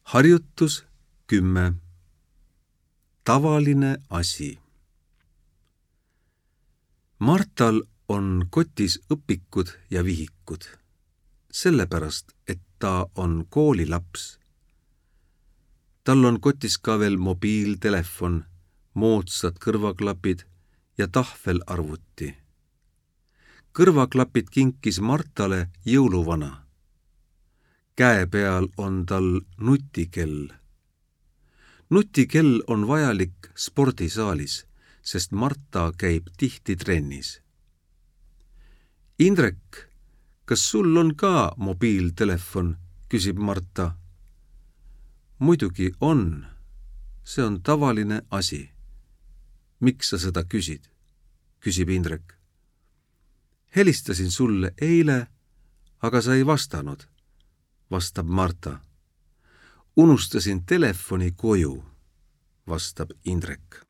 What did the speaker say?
Harjutus 10. Tavaline asi. Martal on kotis õpikud ja vihikud, sellepärast, et ta on koolilaps. Tal on kotis ka veel mobiiltelefon, moodsad kõrvaklapid ja tahvelarvuti. Kõrvaklapid kinkis Martale jõuluvana. Käe peal on tal nutikell. Nutikell on vajalik spordisaalis, sest Marta käib tihti trennis. Indrek, kas sul on ka mobiiltelefon, küsib Marta. Muidugi on. See on tavaline asi. Miks sa seda küsid? Küsib Indrek. Helistasin sulle eile, aga sa ei vastanud, vastab Marta. Unustasin telefoni koju, vastab Indrek.